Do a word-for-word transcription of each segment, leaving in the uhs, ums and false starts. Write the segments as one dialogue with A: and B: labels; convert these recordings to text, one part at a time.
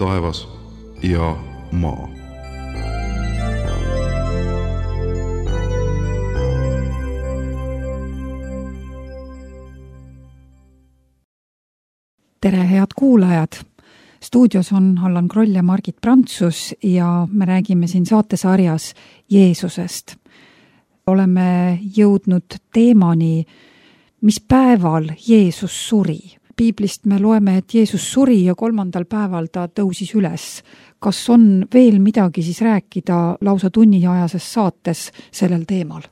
A: taevas ja maa.
B: Tere, head kuulajad! Stuudios on Allan Kroll ja Margit Prantsus ja me räägime siin saatesarjas Jeesusest. Oleme jõudnud teemani, mis päeval Jeesus suri. Piiblist me loeme, et Jeesus suri ja kolmandal päeval ta tõusis üles. Kas on veel midagi siis rääkida lausa tunniajases saates sellel teemal?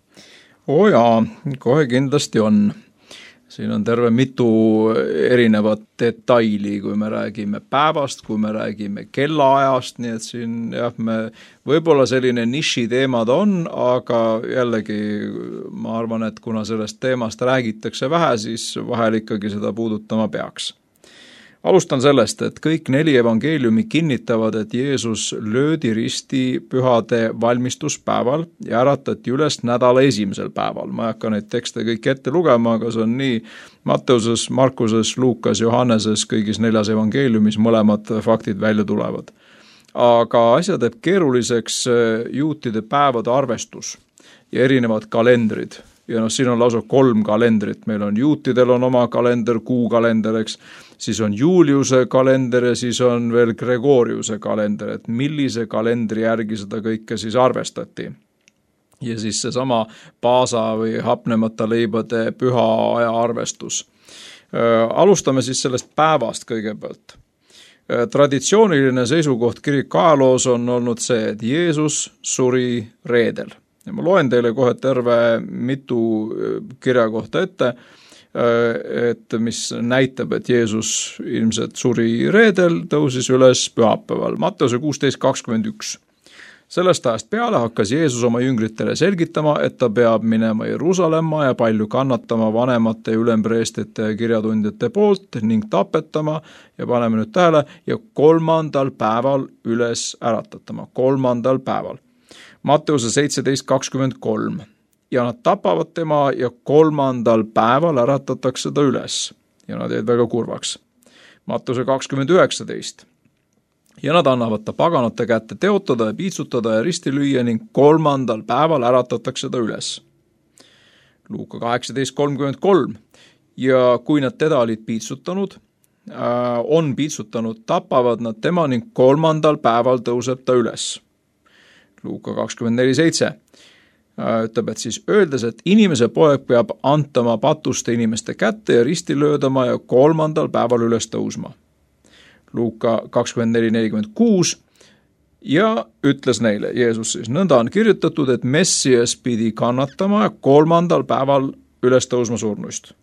C: Oo jaa, kohe kindlasti on. Siin on terve mitu erinevat detaili, kui me räägime päevast, kui me räägime kellaajast, nii et siin jah, me võib-olla selline niši teemad on, aga jällegi ma arvan, et kuna sellest teemast räägitakse vähe, siis vahel ikkagi seda puudutama peaks. Alustan sellest, et kõik neli evangeeliumi kinnitavad, et Jeesus löödi risti pühade valmistuspäeval ja äratati üles nädala esimesel päeval. Ma ei hakka neid tekste kõik ette lugema, aga see on nii Matteuses, Markuses, Luukas, Johanneses, kõigis neljas evangeeliumis mõlemad faktid välja tulevad. Aga asja teeb keeruliseks juutide päevade arvestus ja erinevad kalendrid. Ja no siin on lausa kolm kalendrit. Meil on juutidel on oma kalender, kuukalender, eks. Siis on Juliuse kalender ja siis on veel Gregoriuse kalender, et millise kalendri järgi seda kõike siis arvestati. Ja siis see sama paasa või hapnemata leibade püha aja arvestus. Alustame siis sellest päevast kõigepealt. Traditsiooniline seisukoht kiriku ajaloos on olnud see, et Jeesus suri reedel. Ja ma loen teile kohe terve mitu kirja kohta ette, et mis näitab, et Jeesus ilmselt suri reedel, tõusis üles pühapäeval. Matteuse kuusteist kakskümmend üks. Sellest ajast peale hakkas Jeesus oma jüngritele selgitama, et ta peab minema Jeruusalemma ja palju kannatama vanemate ja ülempreestete ja kirjatundjate poolt ning tapetama ja paneme nüüd tähele ja kolmandal päeval üles äratatama. Kolmandal päeval. Matteuse seitseteist kakskümmend kolm. Ja nad tapavad tema ja kolmandal päeval äratatakse ta üles. Ja nad jäid väga kurvaks. Matteuse kakskümmend üheksateist. Ja nad annavad ta paganate kätte teotada ja piitsutada ja risti lüüa ning kolmandal päeval äratatakse ta üles. Luuka kaheksateist kolmkümmend kolm. Ja kui nad teda olid piitsutanud, on piitsutanud, tapavad nad tema ning kolmandal päeval tõuseb ta üles. Luuka kakskümmend neli seitse. Ütleb, et siis öeldes, et inimese poeg peab antama patuste inimeste kätte ja risti löödama ja kolmandal päeval üles tõusma. Luuka kakskümmend neli nelikümmend kuus ja ütles neile, Jeesus siis, nõnda on kirjutatud, et Messias pidi kannatama ja kolmandal päeval üles tõusma surnuist.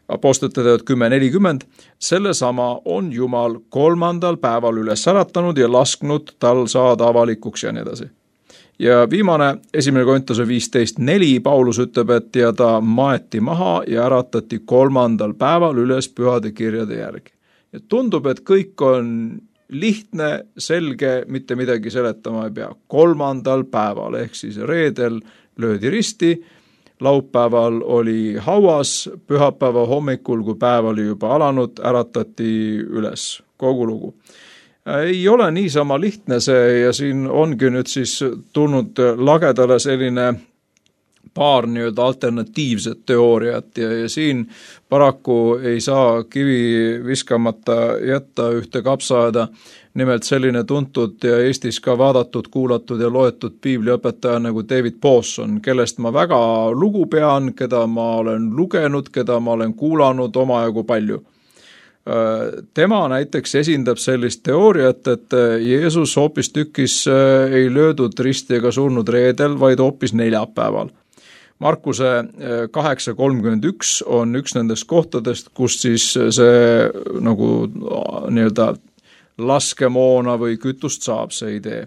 C: Apostlite teod kümme nelikümmend, selle sama on Jumal kolmandal päeval üles äratanud ja lasknud tal saada avalikuks ja nii edasi. Ja viimane, esimene Korintuse viisteist neli, Paulus ütleb, et ja ta maeti maha ja äratati kolmandal päeval üles pühade kirjade järgi. Ja tundub, et kõik on lihtne, selge, mitte midagi seletama ei pea. Kolmandal päeval, ehk siis reedel löödi risti, laupäeval oli hauas, pühapäeva hommikul, kui päev oli juba alanud, äratati üles kogu lugu. Ei ole niisama lihtne see ja siin ongi nüüd siis tulnud lagedale selline paar nii-öelda alternatiivset teooriat ja, ja siin paraku ei saa kivi viskamata jätta ühte kapsaaeda. Nimelt selline tuntud ja Eestis ka vaadatud, kuulatud ja loetud piibliõpetaja nagu David Pawson, kellest ma väga lugu pean, keda ma olen lugenud, keda ma olen kuulanud omajagu palju. Tema näiteks esindab sellist teooriat, et Jeesus hoopis tükis ei löödud risti ega surnud reedel, vaid hoopis neljapäeval. Markuse kaheksa kolmkümmend üks on üks nendest kohtadest, kus siis see nagu nii-öelda laskemoona või kütust saab see idee.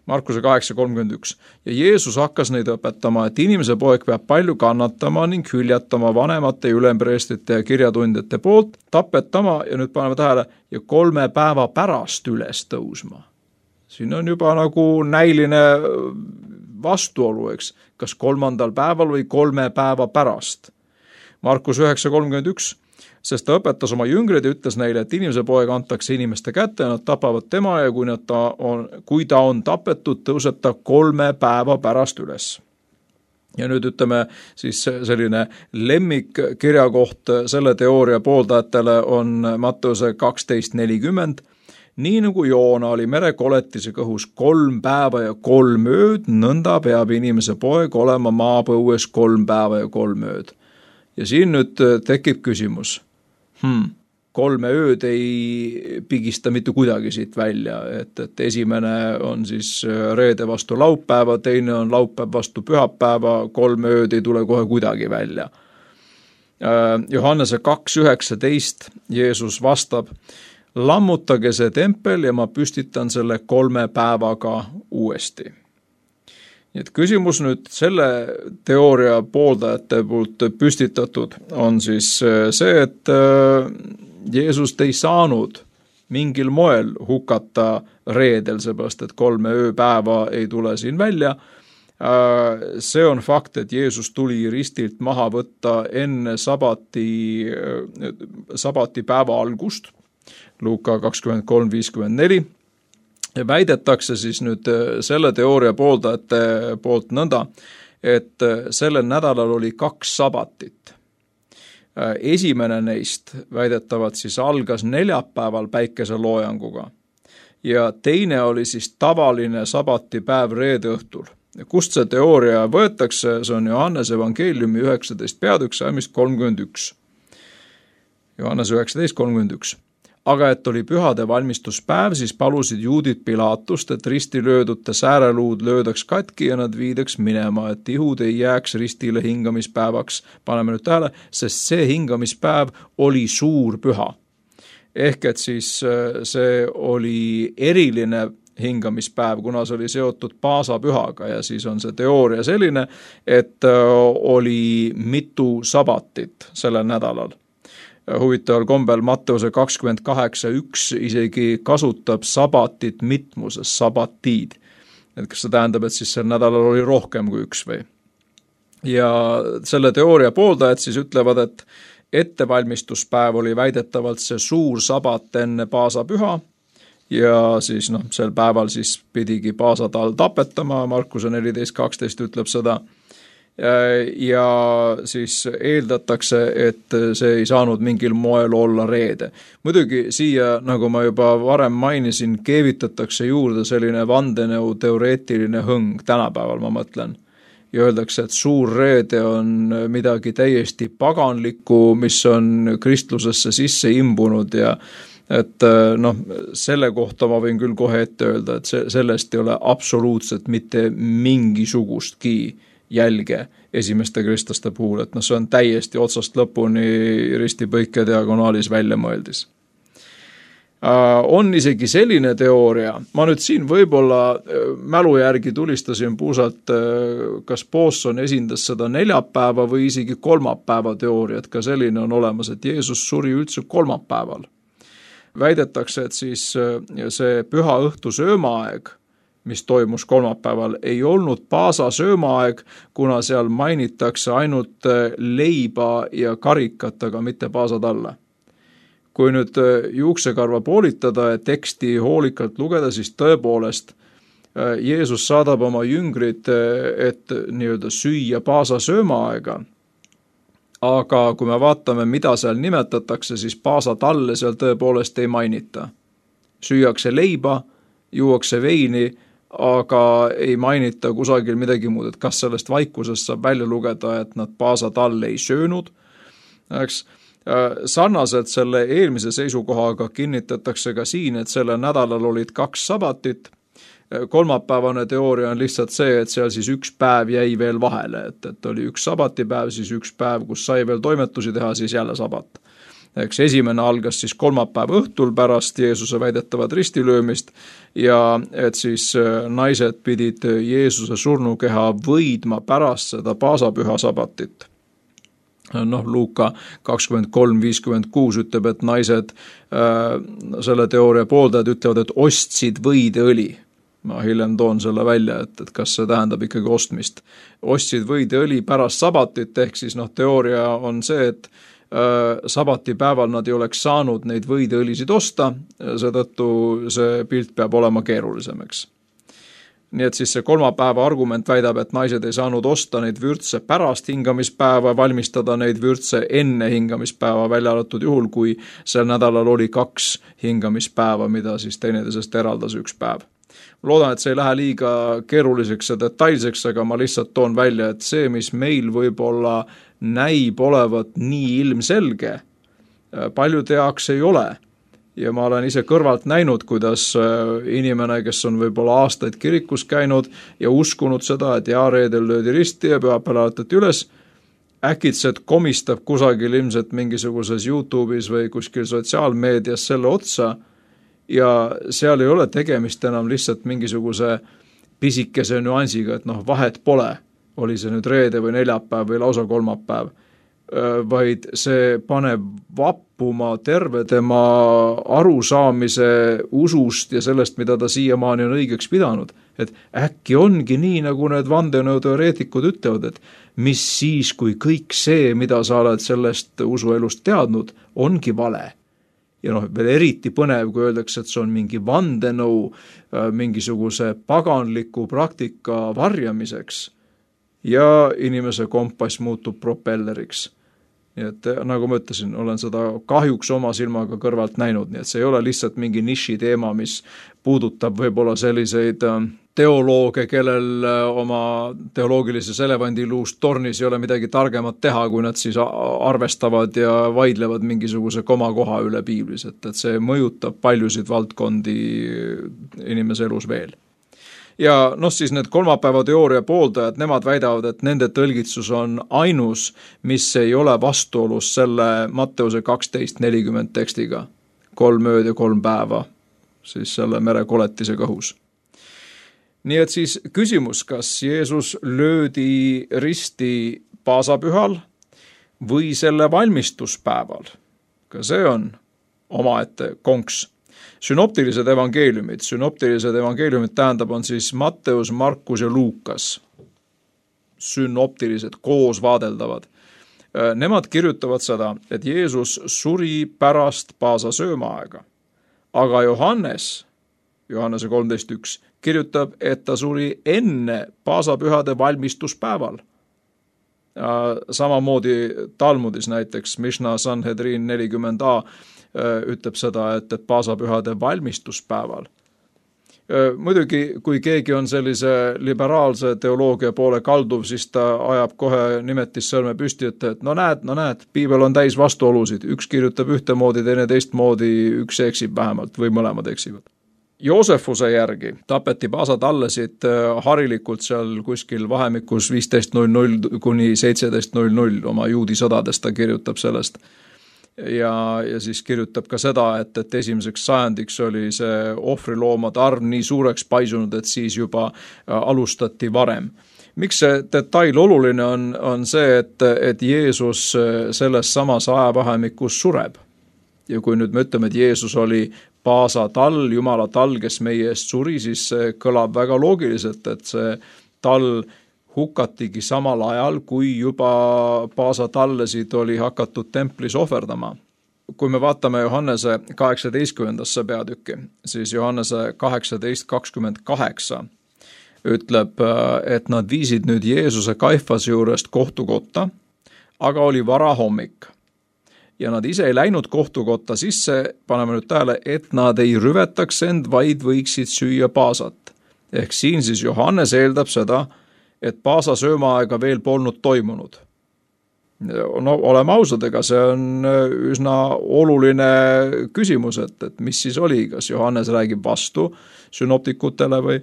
C: Markuse kaheksa kolmkümmend üks. Ja Jeesus hakkas neid õpetama, et inimese poeg peab palju kannatama ning hüljatama vanemate ja ülempreestite ja kirjatundjate poolt, tapetama ja nüüd paneme tähele ja kolme päeva pärast üles tõusma. Siin on juba nagu näiline vastuolu, eks, kas kolmandal päeval või kolme päeva pärast. Markus üheksa kolmkümmend üks. sest ta õpetas oma jüngreid ja ütles neile, et inimese poeg antakse inimeste kätte ja nad tapavad tema ja kui, nad ta on, kui ta on tapetud, tõuseb ta kolme päeva pärast üles. Ja nüüd ütleme siis selline lemmikkirjakoht selle teooria pooldajatele on Matteuse kaksteist nelikümmend. Nii nagu Joona oli merekoletise kõhus kolm päeva ja kolm ööd, nõnda peab inimese poeg olema maapõues kolm päeva ja kolm ööd. Ja siin nüüd tekib küsimus. Hmm, kolme ööd ei pigista mitte kuidagi siit välja, et, et esimene on siis reede vastu laupäeva, teine on laupäev vastu pühapäeva, kolm ööd ei tule kohe kuidagi välja. Johannese kaks üheksateist Jeesus vastab, lammutage see tempel ja ma püstitan selle kolme päevaga uuesti. Nii et küsimus nüüd selle teooria pooldajate poolt püstitatud on siis see, et Jeesust ei saanud mingil moel hukata reedel, seepärast et kolme ööpäeva ei tule siin välja. See on fakt, et Jeesus tuli ristilt maha võtta enne sabati, sabati päeva algust, Luuka kakskümmend kolm viiskümmend neli. Ja väidetakse siis nüüd selle teooria pooldajate poolt nõnda, et sellel nädalal oli kaks sabatit. Esimene neist väidetavad siis algas neljapäeval päikeseloojanguga ja teine oli siis tavaline sabatipäev reede õhtul. Ja kust see teooria võetakse, see on Johannese evangeeliumi üheksateist peatükk salmist kolmkümmend üks. Johannese üheksateist kolmkümmend üks. Aga et oli pühade valmistuspäev, siis palusid juudid Pilaatust, et risti löödute sääreluud löödaks katki ja nad viidaks minema, et ihud ei jääks ristile hingamispäevaks. Paneme nüüd tähele, sest see hingamispäev oli suur püha. Ehk et siis see oli eriline hingamispäev, kuna see oli seotud paasapühaga ja siis on see teooria selline, et oli mitu sabatit sellel nädalal. Huvitaval kombel Matteuse kakskümmend kaheksa üks isegi kasutab sabatit mitmuses, sabatiid. Et kas see tähendab, et siis sel nädalal oli rohkem kui üks või? Ja selle teooria pooldajad siis ütlevad, et ettevalmistuspäev oli väidetavalt see suur sabat enne paasapüha ja siis noh, sel päeval siis pidigi paasatal tapetama, Markuse neliteist kaksteist ütleb seda. Ja siis eeldatakse, et see ei saanud mingil moel olla reede. Muidugi siia, nagu ma juba varem mainisin, keevitatakse juurde selline vandeneu teoreetiline hõng, tänapäeval ma mõtlen. Ja öeldakse, et suur reede on midagi täiesti paganlikku, mis on kristlusesse sisse imbunud ja et noh, selle kohta ma võin küll kohe ette öelda, et sellest ei ole absoluutselt mitte mingisugustki jälge esimeste kristlaste puhul, et noh, see on täiesti otsast lõpuni ristipõike diagonaalis välja mõeldis. On isegi selline teooria, ma nüüd siin võib-olla mälu järgi tulistasin puusalt, kas Poosson esindas seda neljapäeva või isegi kolmapäeva teooriat, ka selline on olemas, et Jeesus suri üldse kolmapäeval. Väidetakse, et siis see püha õhtu söömaaeg, mis toimus kolmapäeval, ei olnud paasa söömaaeg, kuna seal mainitakse ainult leiba ja karikat, aga mitte paasa talle. Kui nüüd juuksekarva poolitada ja teksti hoolikalt lugeda, siis tõepoolest Jeesus saadab oma jüngrid, et nii-öelda süüa paasa söömaaega. Aga kui me vaatame, mida seal nimetatakse, siis paasa talle seal tõepoolest ei mainita. Süüakse leiba, juuakse veini, aga ei mainita kusagil midagi muud, et kas sellest vaikusest saab välja lugeda, et nad paasa talle ei söönud. Eks, sarnaselt selle eelmise seisukohaga kinnitatakse ka siin, et selle nädalal olid kaks sabatit. Kolmapäevane teooria on lihtsalt see, et seal siis üks päev jäi veel vahele, et, et oli üks sabatipäev, siis üks päev, kus sai veel toimetusi teha, siis jälle sabat. Eks esimene algas siis kolmapäev õhtul pärast Jeesuse väidetavat ristilöömist ja et siis naised pidid Jeesuse surnukeha võidma pärast seda paasapüha sabatit. Noh, Luuka kakskümmend kolm viiskümmend kuus ütleb, et naised äh, selle teooria pooldajad ütlevad, et ostsid võideõli. Ma hiljem toon selle välja, et, et kas see tähendab ikkagi ostmist. Ostsid võideõli pärast sabatit, ehk siis noh, teooria on see, et sabatipäeval nad ei oleks saanud neid võideõlisid osta, seetõttu see pilt peab olema keerulisem, eks. Nii et siis see kolmapäeva argument väidab, et naised ei saanud osta neid vürtse pärast hingamispäeva, valmistada neid vürtse enne hingamispäeva, välja arvatud juhul, kui sel nädalal oli kaks hingamispäeva, mida siis teineteisest eraldas üks päev. Loodan, et see ei lähe liiga keeruliseks ja detailseks, aga ma lihtsalt toon välja, et see, mis meil võib-olla näib olevat nii ilmselge, paljude jaoks ei ole. Ja ma olen ise kõrvalt näinud, kuidas inimene, kes on võib-olla aastaid kirikus käinud ja uskunud seda, et jaa, reedel löödi risti ja pühapäeval alatati üles, äkitselt komistab kusagil ilmselt mingisuguses YouTube'is või kuskil sotsiaalmeedias selle otsa ja seal ei ole tegemist enam lihtsalt mingisuguse pisikese nüansiga, et noh, vahet pole, oli see nüüd reede või neljapäev või lausa kolmapäev, vaid see paneb vappuma terve tema arusaamise usust ja sellest, mida ta siiamaani on õigeks pidanud. Et äkki ongi nii, nagu need vandenõuteoreetikud ütlevad, et mis siis, kui kõik see, mida sa oled sellest usuelust teadnud, ongi vale. Ja noh, veel eriti põnev, kui öeldakse, et see on mingi vandenõu mingisuguse paganliku praktika varjamiseks ja inimese kompass muutub propelleriks. Nii et nagu ma ütlesin, olen seda kahjuks oma silmaga kõrvalt näinud, nii et see ei ole lihtsalt mingi niši teema, mis puudutab võib-olla selliseid teolooge, kellel oma teoloogilises elevandiluust tornis ei ole midagi targemat teha, kui nad siis arvestavad ja vaidlevad mingisuguse komakoha üle piiblis, et, et see mõjutab paljusid valdkondi inimese elus veel. Ja noh, siis need kolmapäeva teooria pooldajad, nemad väidavad, et nende tõlgitsus on ainus, mis ei ole vastuolus selle Matteuse kaksteist nelikümmend tekstiga. Kolm ööd ja kolm päeva, siis selle merekoletise kõhus. Nii et siis küsimus, kas Jeesus löödi risti paasapühal või selle valmistuspäeval? Ka see on omaette konks. Synoptilised evangeeliumid. Synoptilised evangeeliumid tähendab on siis Matteus, Markus ja Luukas. Synoptilised, koos vaadeldavad. Nemad kirjutavad seda, et Jeesus suri pärast paasa söömaaega. Aga Johannes, Johannese kolmteist üks, kirjutab, et ta suri enne paasapühade valmistuspäeval. Samamoodi Talmudis näiteks, Mishna Sanhedrin nelikümmend A, ütleb seda, et, et paasapühade valmistuspäeval. Muidugi, kui keegi on sellise liberaalse teoloogia poole kalduv, siis ta ajab kohe nimetis sõrme püsti, et, et no näed, no näed, piibel on täis vastuolusid, üks kirjutab ühtemoodi, teine teistmoodi, üks eksib vähemalt või mõlemad eksivad. Joosefuse järgi tapeti paasatallesid harilikult seal kuskil vahemikus viisteist null null kuni seitseteist null null oma juudi sõdadest, ta kirjutab sellest. Ja, ja siis kirjutab ka seda, et, et esimeseks sajandiks oli see ohvriloomade arv nii suureks paisunud, et siis juba alustati varem. Miks see detail oluline on, on see, et, et Jeesus selles samas ajavahemikus sureb. Ja kui nüüd me ütleme, et Jeesus oli paasa tall, Jumala tall, kes meie eest suri, siis see kõlab väga loogiliselt, et see tall hukatigi samal ajal, kui juba paasatallesid oli hakatud templis ohverdama. Kui me vaatame Johannese kaheksateistkümnendasse peatükki, siis Johannese kaheksateist kakskümmend kaheksa ütleb, et nad viisid nüüd Jeesuse Kaifase juurest kohtukotta, aga oli varahommik. Ja nad ise ei läinud kohtukotta sisse, paneme nüüd tähele, et nad ei rüvetaks end, vaid võiksid süüa paasat. Ehk siin siis Johannes eeldab seda, et paasa söömaaega veel polnud toimunud. No oleme ausad, ega see on üsna oluline küsimus, et, et mis siis oli, kas Johannes räägib vastu synoptikutele või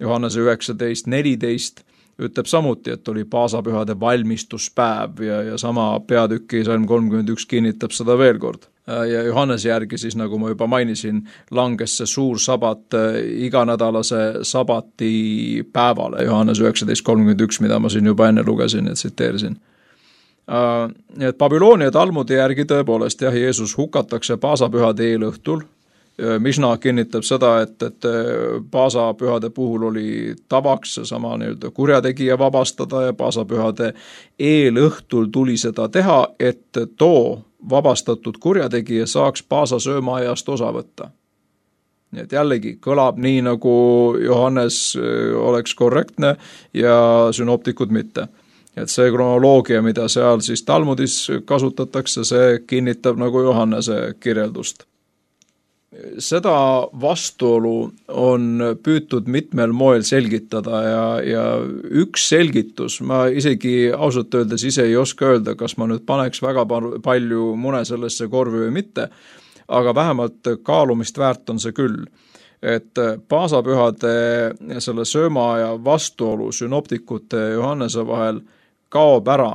C: Johannese üheksateist neliteist ütleb samuti, et oli paasapühade valmistuspäev ja, ja sama peatüki salm kolmkümmend üks kinnitab seda veel kord. Ja Johannese järgi siis, nagu ma juba mainisin, langes see suur sabat iganädalase sabati päevale, Johannes üheksateist kolmkümmend üks, mida ma siin juba enne lugesin ja tsiteerisin. Et Babyloonia Talmudi järgi tõepoolest jah, Jeesus hukatakse paasapühade eelõhtul Misna kinnitab seda, et, et paasapühade puhul oli tavaks sama nii-öelda kurjategija vabastada ja paasapühade eelõhtul tuli seda teha, et too vabastatud kurjategija saaks paasasöömaajast osa võtta. Nii et jällegi kõlab nii, nagu Johannes oleks korrektne ja sünoptikud mitte. Et see kronoloogia, mida seal siis Talmudis kasutatakse, see kinnitab nagu Johannese kirjeldust. Seda vastuolu on püütud mitmel moel selgitada ja, ja üks selgitus, ma isegi ausalt öeldes ise ei oska öelda, kas ma nüüd paneks väga palju mune sellesse korvi või mitte, aga vähemalt kaalumist väärt on see küll, et paasapühade selle söömaaja vastuolu sünoptikute ja Johannese vahel kaob ära,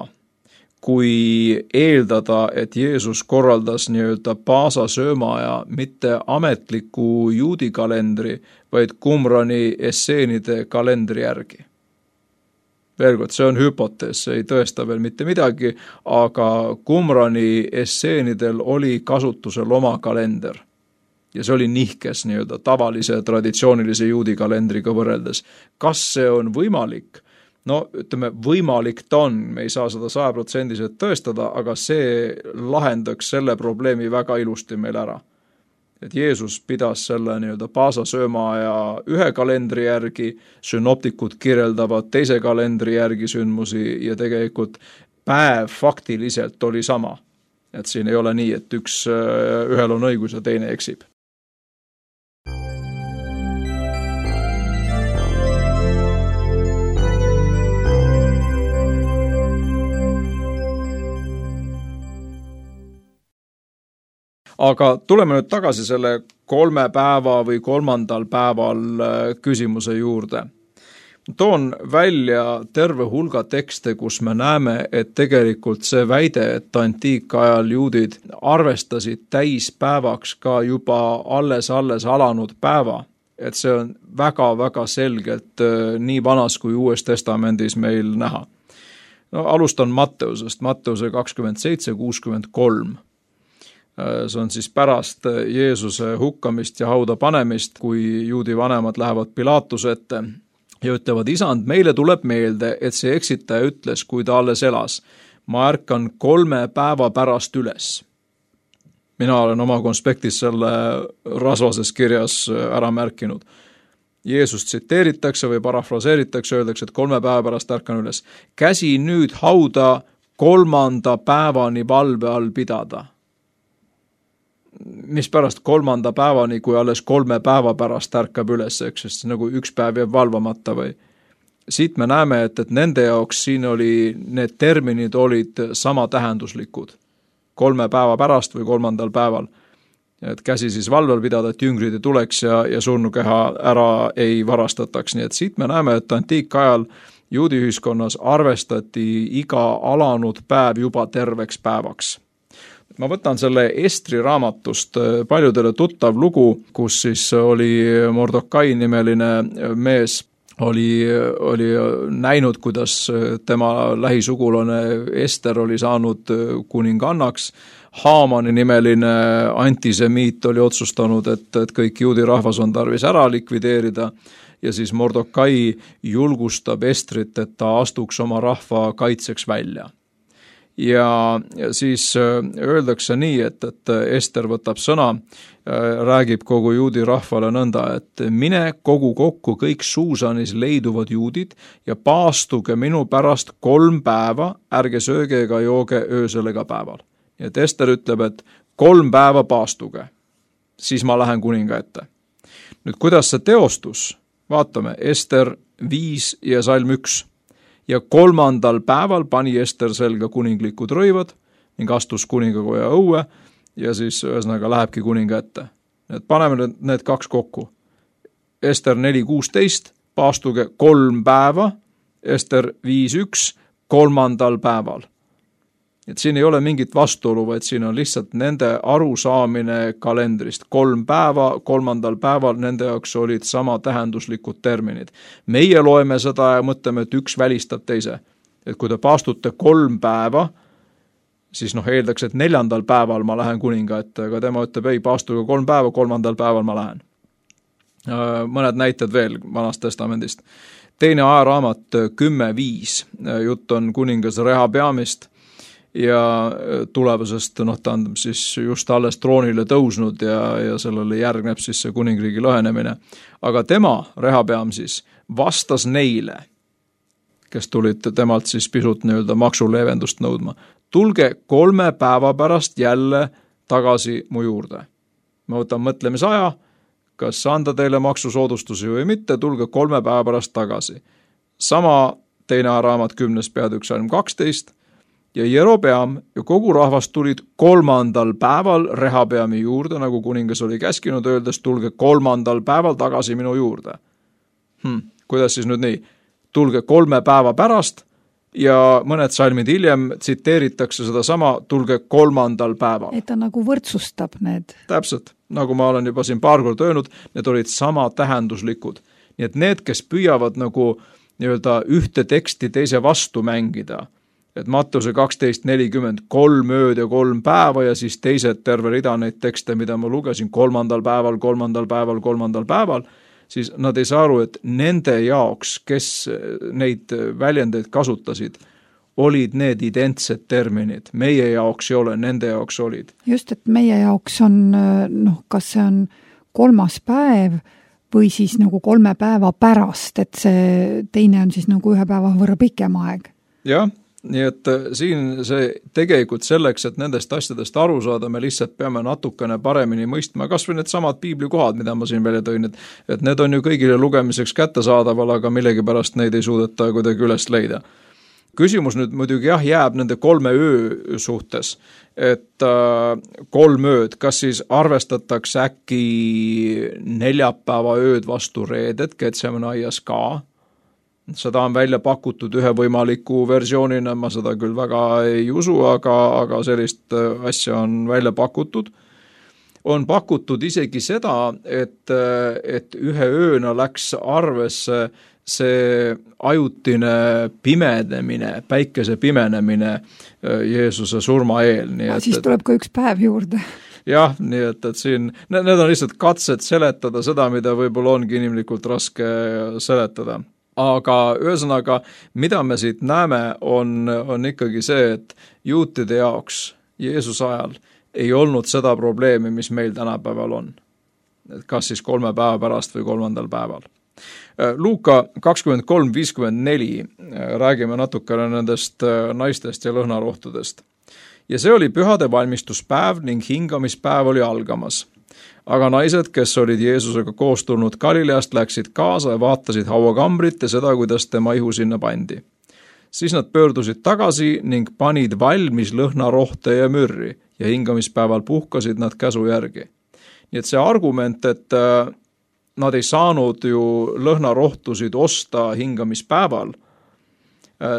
C: kui eeldada, et Jeesus korraldas nii-öelda paasa söömaaja mitte ametliku juudi kalendri, vaid Qumrani esseenide kalendri järgi. Veel kord, see on hüpotees, see ei tõesta veel mitte midagi, aga Qumrani esseenidel oli kasutusel oma kalender. Ja see oli nihkes nii-öelda tavalise traditsioonilise juudi kalendriga võrreldes. Kas see on võimalik? No ütleme, võimalik ta on, me ei saa seda sajaprotsendiliselt tõestada, aga see lahendaks selle probleemi väga ilusti meil ära. Et Jeesus pidas selle nii-öelda paasasöömaaja ühe kalendri järgi, sünoptikud kirjeldavad teise kalendri järgi sündmusi ja tegelikult päev faktiliselt oli sama. Et siin ei ole nii, et üks, ühel on õigus ja teine eksib. Aga tuleme nüüd tagasi selle kolme päeva või kolmandal päeval küsimuse juurde. Toon välja terve hulga tekste, kus me näeme, et tegelikult see väide, et antiikajal juudid arvestasid täispäevaks ka juba alles-alles alanud päeva, et see on väga-väga selgelt nii vanas kui Uues Testamendis meil näha. No, alustan Matteusest, Matteuse kakskümmend seitse kuuskümmend kolm. See on siis pärast Jeesuse hukkamist ja hauda panemist, kui juudi vanemad lähevad Pilatuse ette ja ütlevad, isand, meile tuleb meelde, et see eksitaja ütles, kui ta alles elas, ma ärkan kolme päeva pärast üles. Mina olen oma konspektis selle rasvases kirjas ära märkinud. Jeesus tsiteeritakse või parafraseeritakse, öeldakse, et kolme päeva pärast ärkan üles. Käsi nüüd hauda kolmanda päevani valve all pidada. Mis pärast kolmanda päevani, kui alles kolme päeva pärast ärkab üles, eks, sest nagu üks päev jääb valvamata või. Siit me näeme, et, et nende jaoks siin oli, need terminid olid sama tähenduslikud. Kolme päeva pärast või kolmandal päeval. Et käsi siis valvel pidada, et jüngrid ei tuleks ja, ja surnukeha ära ei varastataks. Nii et siit me näeme, et antiikajal juudi ühiskonnas arvestati iga alanud päev juba terveks päevaks. Ma võtan selle Estri raamatust paljudele tuttav lugu, kus siis oli Mordokai nimeline mees, oli, oli näinud, kuidas tema lähisugulane Ester oli saanud kuningannaks. Haamani nimeline antisemiit oli otsustanud, et, et kõik juudi rahvas on tarvis ära likvideerida ja siis Mordokai julgustab Estrit, et ta astuks oma rahva kaitseks välja. Ja siis öeldakse nii, et, et Ester võtab sõna, räägib kogu juudi rahvale nõnda, et mine kogu kokku kõik Suusanis leiduvad juudid ja paastuge minu pärast kolm päeva, ärge sööge ega jooge öösel ega päeval. Et Ester ütleb, et kolm päeva paastuge, siis ma lähen kuninga ette. Nüüd, kuidas see teostus? Vaatame, Ester viis ja salm üks. Ja kolmandal päeval pani Ester selga kuninglikud rõivad ning astus kuningakoja õue ja siis ühesõnaga lähebki kuninga ette. Et paneme need kaks kokku. Ester neli kuusteist, paastuge kolm päeva, Ester viis üks, kolmandal päeval. Et siin ei ole mingit vastuolu, vaid siin on lihtsalt nende arusaamine kalendrist. Kolm päeva, kolmandal päeval nende jaoks olid sama tähenduslikud terminid. Meie loeme seda ja mõtleme, et üks välistab teise. Et kui te paastute kolm päeva, siis noh, eeldaks, et neljandal päeval ma lähen kuninga ette, aga tema ütleb, ei, paastuge kolm päeva, kolmandal päeval ma lähen. Mõned näited veel Vanast Testamendist. Teine ajaraamat kümme viis, jutt on kuningas Rehabeamist ja tulevasest, noh, ta on siis just alles troonile tõusnud ja, ja sellele järgneb siis see kuningriigi lõhenemine. Aga tema, Rehabeam siis, vastas neile, kes tulid temalt siis pisut nii-öelda maksuleevendust nõudma. Tulge kolme päeva pärast jälle tagasi mu juurde. Ma võtan mõtlemisaja, kas anda teile maksusoodustusi või mitte, tulge kolme päeva pärast tagasi. Sama teine raamat kümnes peatükk salm kaksteist ja Jerobeam ja kogu rahvas tulid kolmandal päeval Rehabeami juurde, nagu kuningas oli käskinud, öeldes tulge kolmandal päeval tagasi minu juurde. Hmm, kuidas siis nüüd nii? Tulge kolme päeva pärast ja mõned salmid hiljem tsiteeritakse seda sama, tulge kolmandal päeval.
B: Et ta nagu võrdsustab need.
C: Täpselt, nagu ma olen juba siin paar kord öelnud, need olid sama tähenduslikud. Nii et need, kes püüavad nagu nii-öelda ühte teksti teise vastu mängida, et Mattuse kaksteist nelikümmend kolm ööd ja kolm päeva ja siis teised terve rida neid tekste, mida ma lugesin kolmandal päeval, kolmandal päeval, kolmandal päeval, siis nad ei saa aru, et nende jaoks, kes neid väljendeid kasutasid, olid need identsed terminid. Meie jaoks ei ole, nende jaoks olid.
B: Just, et meie jaoks on, noh, kas see on kolmas päev või siis nagu kolme päeva pärast, et see teine on siis nagu ühe päeva võrra pikem aeg.
C: Jah, nii et siin see tegelikult selleks, et nendest asjadest aru saada, me lihtsalt peame natukene paremini mõistma, kas või need samad piiblikohad, mida ma siin välja tõin, et, et need on ju kõigile lugemiseks kättesaadaval, aga millegipärast neid ei suudeta kuidagi üles leida. Küsimus nüüd muidugi jah, jääb nende kolme öö suhtes, et äh, kolm ööd, kas siis arvestatakse äkki neljapäeva ööd vastu reedet Getsemani aias ka? Seda on välja pakutud ühe võimaliku versioonina, ma seda küll väga ei usu, aga, aga sellist asja on välja pakutud. On pakutud isegi seda, et, et ühe ööna läks arvesse see ajutine pimenemine, päikese pimenemine Jeesuse surma eel. Nii et,
B: siis tuleb ka üks päev juurde.
C: Jah, nii et, et siin, need on lihtsalt katsed seletada seda, mida võib-olla ongi inimlikult raske seletada. Aga ühesõnaga, mida me siit näeme, on, on ikkagi see, et juutide jaoks Jeesuse ajal ei olnud seda probleemi, mis meil tänapäeval on. Et kas siis kolme päeva pärast või kolmandal päeval. Luuka kakskümmend kolm viiskümmend neli räägime natukene nendest naistest ja lõhnarohtudest. Ja see oli pühade valmistuspäev ning hingamispäev oli algamas. Aga naised, kes olid Jeesusega koos tulnud Galileast, läksid kaasa ja vaatasid hauakambrit ja seda, kuidas tema ihu sinna pandi. Siis nad pöördusid tagasi ning panid valmis lõhnarohte ja mürri ja hingamispäeval puhkasid nad käsu järgi. Nii et see argument, et nad ei saanud ju lõhnarohtusid osta hingamispäeval,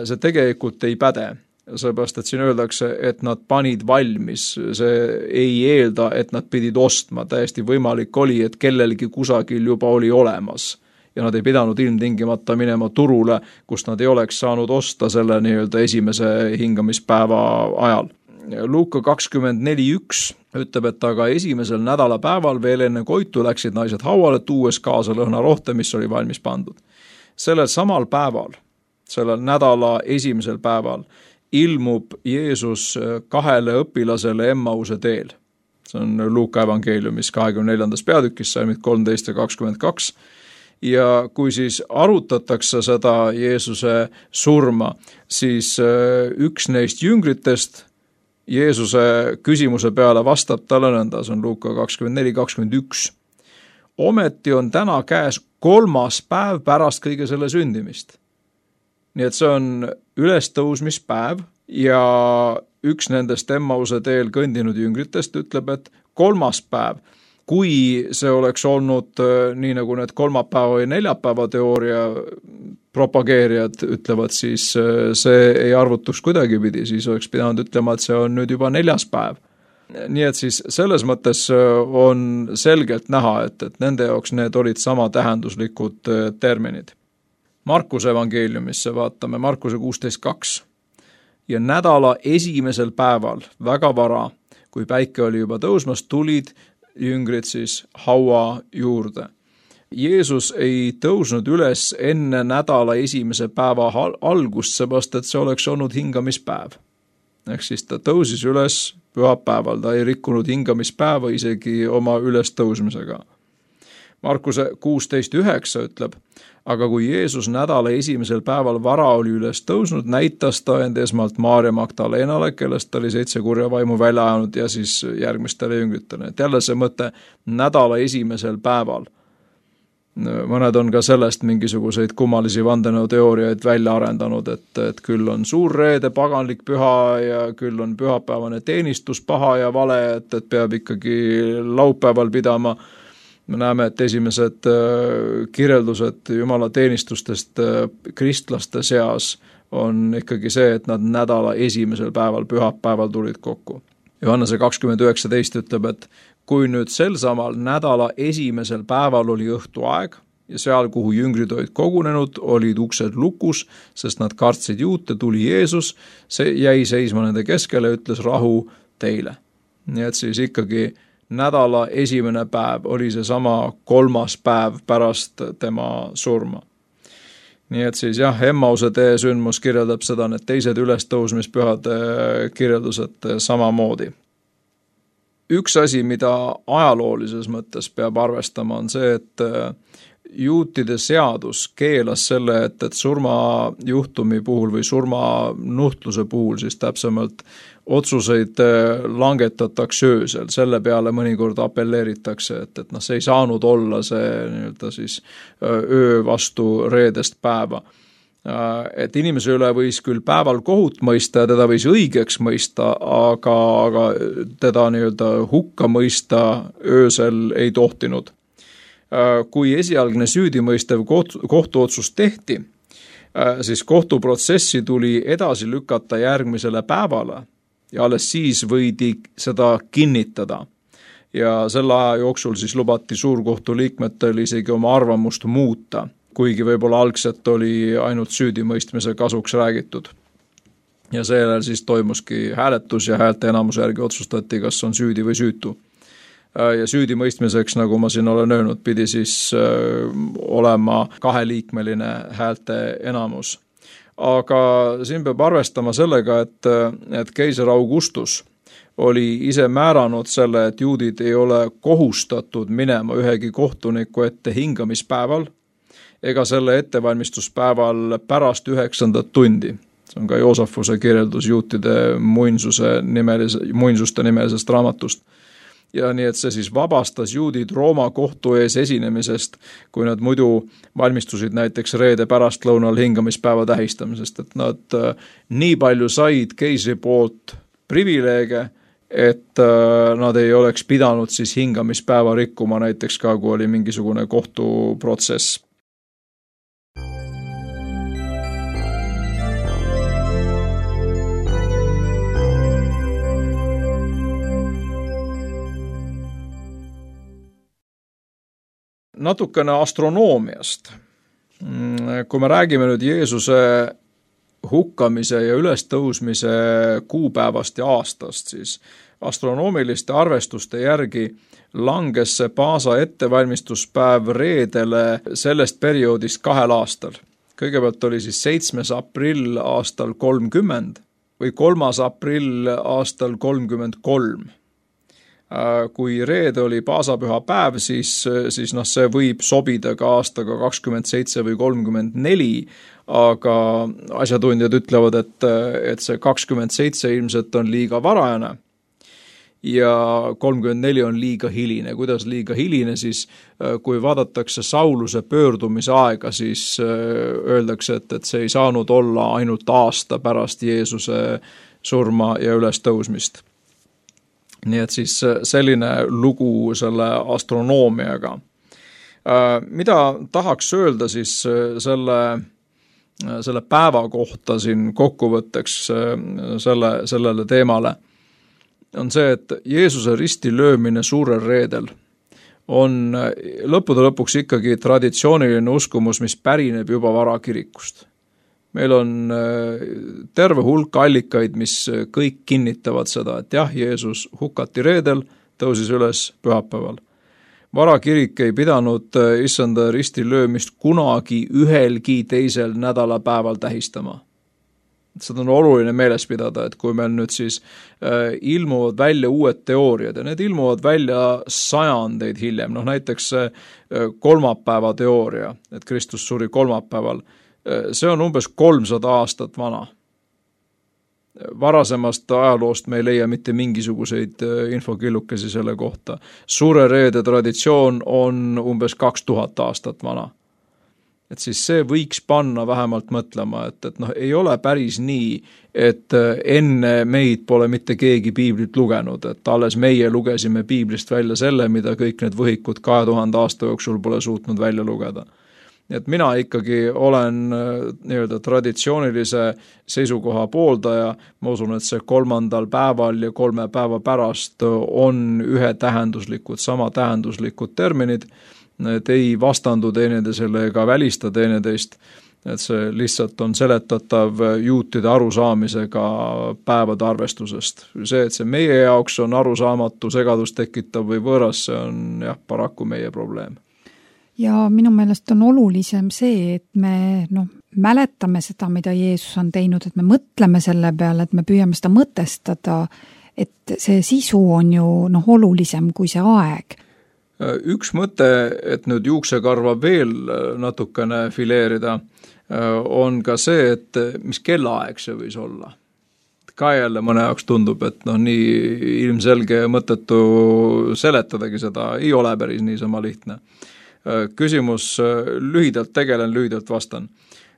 C: see tegelikult ei päde. Sellepärast, et siin öeldakse, et nad panid valmis, see ei eelda, et nad pidid ostma, täiesti võimalik oli, et kellelgi kusagil juba oli olemas ja nad ei pidanud ilmtingimata minema turule, kus nad ei oleks saanud osta selle nii-öelda esimese hingamispäeva ajal. Luuka kakskümmend neli üks ütleb, et aga esimesel nädalapäeval veel enne koitu läksid naised hauale, tuues kaasa lõhnarohte, mis oli valmis pandud. Sellel samal päeval, sellel nädala esimesel päeval ilmub Jeesus kahele õpilasele Emmause teel. See on Luuka evangeeliumis kahekümne neljandas peatükis, salmid kolmteist ja kakskümmend kaks. Ja kui siis arutatakse seda Jeesuse surma, siis üks neist jüngritest Jeesuse küsimuse peale vastab talle nõnda, see on Luuka kakskümmend neli kakskümmend üks. Ometi on täna käes kolmas päev pärast kõige selle sündimist. Nii et see on ülestõusmispäev ja üks nendest Emmause teel kõndinud jüngritest ütleb, et kolmas päev, kui see oleks olnud nii nagu need kolmapäeva ja neljapäeva teooria propageerijad ütlevad, siis see ei arvutuks kuidagipidi, siis oleks pidanud ütlema, et see on nüüd juba neljas päev. Nii et siis selles mõttes on selgelt näha, et, et nende jaoks need olid sama tähenduslikud terminid. Markuse evangeeliumisse vaatame, Markuse kuusteist kaks. ja nädala esimesel päeval, väga vara, kui päike oli juba tõusmas, tulid jüngrid siis haua juurde. Jeesus ei tõusnud üles enne nädala esimese päeva algust, seepärast et see oleks olnud hingamispäev. Ehk siis ta tõusis üles pühapäeval, ta ei rikkunud hingamispäeva isegi oma ülestõusmisega. Markuse kuusteist üheksa ütleb, aga kui Jeesus nädala esimesel päeval vara oli üles tõusnud, näitas ta end esmalt Maarja Magdalenale, kellest oli seitse kurja vaimu välja ajanud ja siis järgmistele jüngritele. Et jälle see mõte nädala esimesel päeval. Mõned on ka sellest mingisuguseid kummalisi vandenõuteooriaid välja arendanud, et, et küll on suur reede paganlik püha ja küll on pühapäevane teenistus paha ja vale, et, et peab ikkagi laupäeval pidama. Me näeme, et esimesed kirjeldused jumala teenistustest kristlaste seas on ikkagi see, et nad nädala esimesel päeval, pühapäeval tulid kokku. Johannese kakskümmend üheksateist ütleb, et kui nüüd sel samal nädala esimesel päeval oli õhtuaeg ja seal, kuhu jüngrid olid kogunenud, olid uksed lukus, sest nad kartsid juute, tuli Jeesus, see jäi seisma nende keskele ja ütles rahu teile. Nii et siis ikkagi nädala esimene päev oli see sama kolmas päev pärast tema surma. Nii et siis jah, Emmause tee sündmus kirjeldab seda, need teised ülestõusmispühade kirjeldused samamoodi. Üks asi, mida ajaloolises mõttes peab arvestama, on see, et juutide seadus keelas selle, et, et surmajuhtumi puhul või surmanuhtluse puhul siis täpsemalt otsuseid langetatakse öösel, selle peale mõnikord apelleeritakse, et, et noh, see ei saanud olla see nii-öelda siis öö vastu reedest päeva. Et inimese üle võis küll päeval kohut mõista ja teda võis õigeks mõista, aga, aga teda nii-öelda hukka mõista öösel ei tohtinud. Kui esialgne süüdimõistev kohtuotsus tehti, siis kohtuprotsessi tuli edasi lükata järgmisele päevale ja alles siis võidi seda kinnitada. Ja selle aja jooksul siis lubati suurkohtu liikmetel isegi oma arvamust muuta, kuigi võib-olla algselt oli ainult süüdimõistmise kasuks räägitud. Ja seejärel siis toimuski hääletus ja häälte enamuse järgi otsustati, kas on süüdi või süütu. Ja süüdimõistmiseks, nagu ma siin olen öelnud, pidi siis olema kaheliikmeline häälte enamus. Aga siin peab arvestama sellega, et, et keiser Augustus oli ise määranud selle, et juudid ei ole kohustatud minema ühegi kohtuniku ette hingamispäeval, ega selle ettevalmistuspäeval pärast üheksandat tundi. See on ka Joosafuse kirjeldus juutide muinsuse nimelise, muinsuste nimelisest raamatust. Ja nii, et see siis vabastas juudid Rooma kohtu ees esinemisest, kui nad muidu valmistusid näiteks reede pärastlõunal hingamispäeva tähistamisest, et nad nii palju said keisri poolt privileege, et nad ei oleks pidanud siis hingamispäeva rikkuma näiteks ka, kui oli mingisugune kohtuprotsess. Natukene astronoomiast. Kui me räägime nüüd Jeesuse hukkamise ja ülestõusmise kuupäevast ja aastast, siis astronoomiliste arvestuste järgi langes see Paasa ettevalmistuspäev reedele sellest perioodist kahel aastal. Kõigepealt oli siis seitsmes aprill aastal kolmkümmend või kolmas aprill aastal kolmkümmend kolm. Kui reede oli paasapüha päev, siis, siis noh, see võib sobida ka aastaga kakskümmend seitse või kolmkümmend neli, aga asjatundjad ütlevad, et, et see kakskümmend seitse ilmselt on liiga varajane ja kolmkümmend neli on liiga hiline. Kuidas liiga hiline, siis kui vaadatakse Sauluse pöördumise aega, siis öeldakse, et, et see ei saanud olla ainult aasta pärast Jeesuse surma ja ülestõusmist. Nii et siis selline lugu selle astronoomiaga. Mida tahaks öelda siis selle, selle päeva kohta siin kokkuvõtteks selle, sellele teemale, on see, et Jeesuse risti löömine suurel reedel on lõppude lõpuks ikkagi traditsiooniline uskumus, mis pärineb juba varakirikust. meil on terve hulk allikaid, mis kõik kinnitavad seda, et jah, Jeesus hukati reedel, tõusis üles pühapäeval. Varakirik ei pidanud issanda ristil löömist kunagi ühelgi teisel nädalapäeval tähistama. Seda on oluline meeles pidada, et kui meil nüüd siis äh, ilmuvad välja uued teooriad ja need ilmuvad välja sajandeid hiljem, noh näiteks äh, kolmapäeva teooria, et Kristus suri kolmapäeval, äh, see on umbes kolmsada aastat vana. Varasemast ajaloost me ei leia mitte mingisuguseid äh, infokillukesi selle kohta. Suure reede traditsioon on umbes kaks tuhat aastat vana. Et siis see võiks panna vähemalt mõtlema, et, et noh, ei ole päris nii, et enne meid pole mitte keegi piiblit lugenud, et alles meie lugesime piiblist välja selle, mida kõik need võhikud kahe tuhande aasta jooksul pole suutnud välja lugeda. Et mina ikkagi olen nii-öelda traditsioonilise seisukoha pooldaja, ma usun, et see kolmandal päeval ja kolme päeva pärast on ühetähenduslikud, sama tähenduslikud terminid, et ei vastandu teineteisele ega välista teineteist, et see lihtsalt on seletatav juutide arusaamisega päevade arvestusest. See, et see meie jaoks on arusaamatu, segadust tekitav või võõras, see on jah, paraku meie probleem.
B: Ja minu meelest on olulisem see, et me noh, mäletame seda, mida Jeesus on teinud, et me mõtleme selle peale, et me püüame seda mõtestada, et see sisu on ju noh, olulisem kui see aeg.
C: Üks mõte, et nüüd juuksekarva veel natukene fileerida, on ka see, et mis kellaaeg see võis olla. Ka jälle mõne jaoks tundub, et noh, nii ilmselge mõttetu seletadagi seda, ei ole päris niisama lihtne. Küsimus lühidalt tegelen, lühidalt vastan.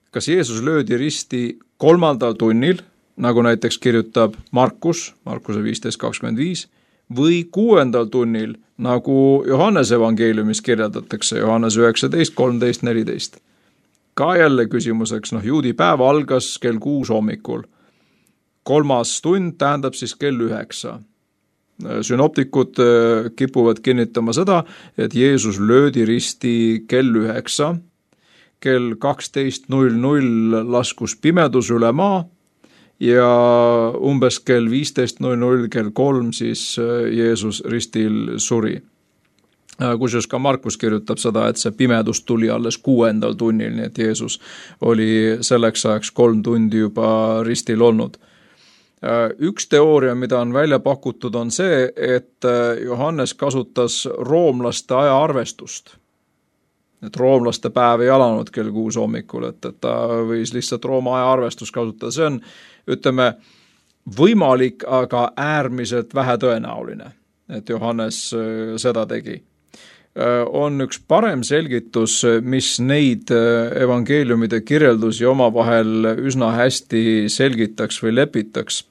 C: Kas Jeesus löödi risti kolmandal tunnil, nagu näiteks kirjutab Markus, Markuse viisteist kakskümmend viis, või kuuendal tunnil, nagu Johannese evangeeliumis kirjeldatakse, Johannes üheksateist kolmteist neliteist. Ka jälle küsimuseks, noh, juudi päev algas kell kuus hommikul. Kolmas tund tähendab siis kell üheksa. Synoptikud kipuvad kinnitama seda, et Jeesus löödi risti kell üheksa, kell kaksteist null null laskus pimedus üle maa, ja umbes kell viisteist null null, kell kolm siis Jeesus ristil suri. Kusjuures ka Markus kirjutab seda, et see pimedus tuli alles kuuendal tunnil, nii et Jeesus oli selleks ajaks kolm tundi juba ristil olnud. Üks teooria, mida on välja pakutud, on see, et Johannes kasutas roomlaste ajaarvestust. Et roomlaste päev ei alanud kell kuus hommikul, et, et ta võis lihtsalt Rooma ajaarvestust kasutada. See on, ütleme, võimalik, aga äärmiselt vähetõenäoline, et Johannes seda tegi. On üks parem selgitus, mis neid evangeeliumide kirjeldusi omavahel üsna hästi selgitaks või lepitaks,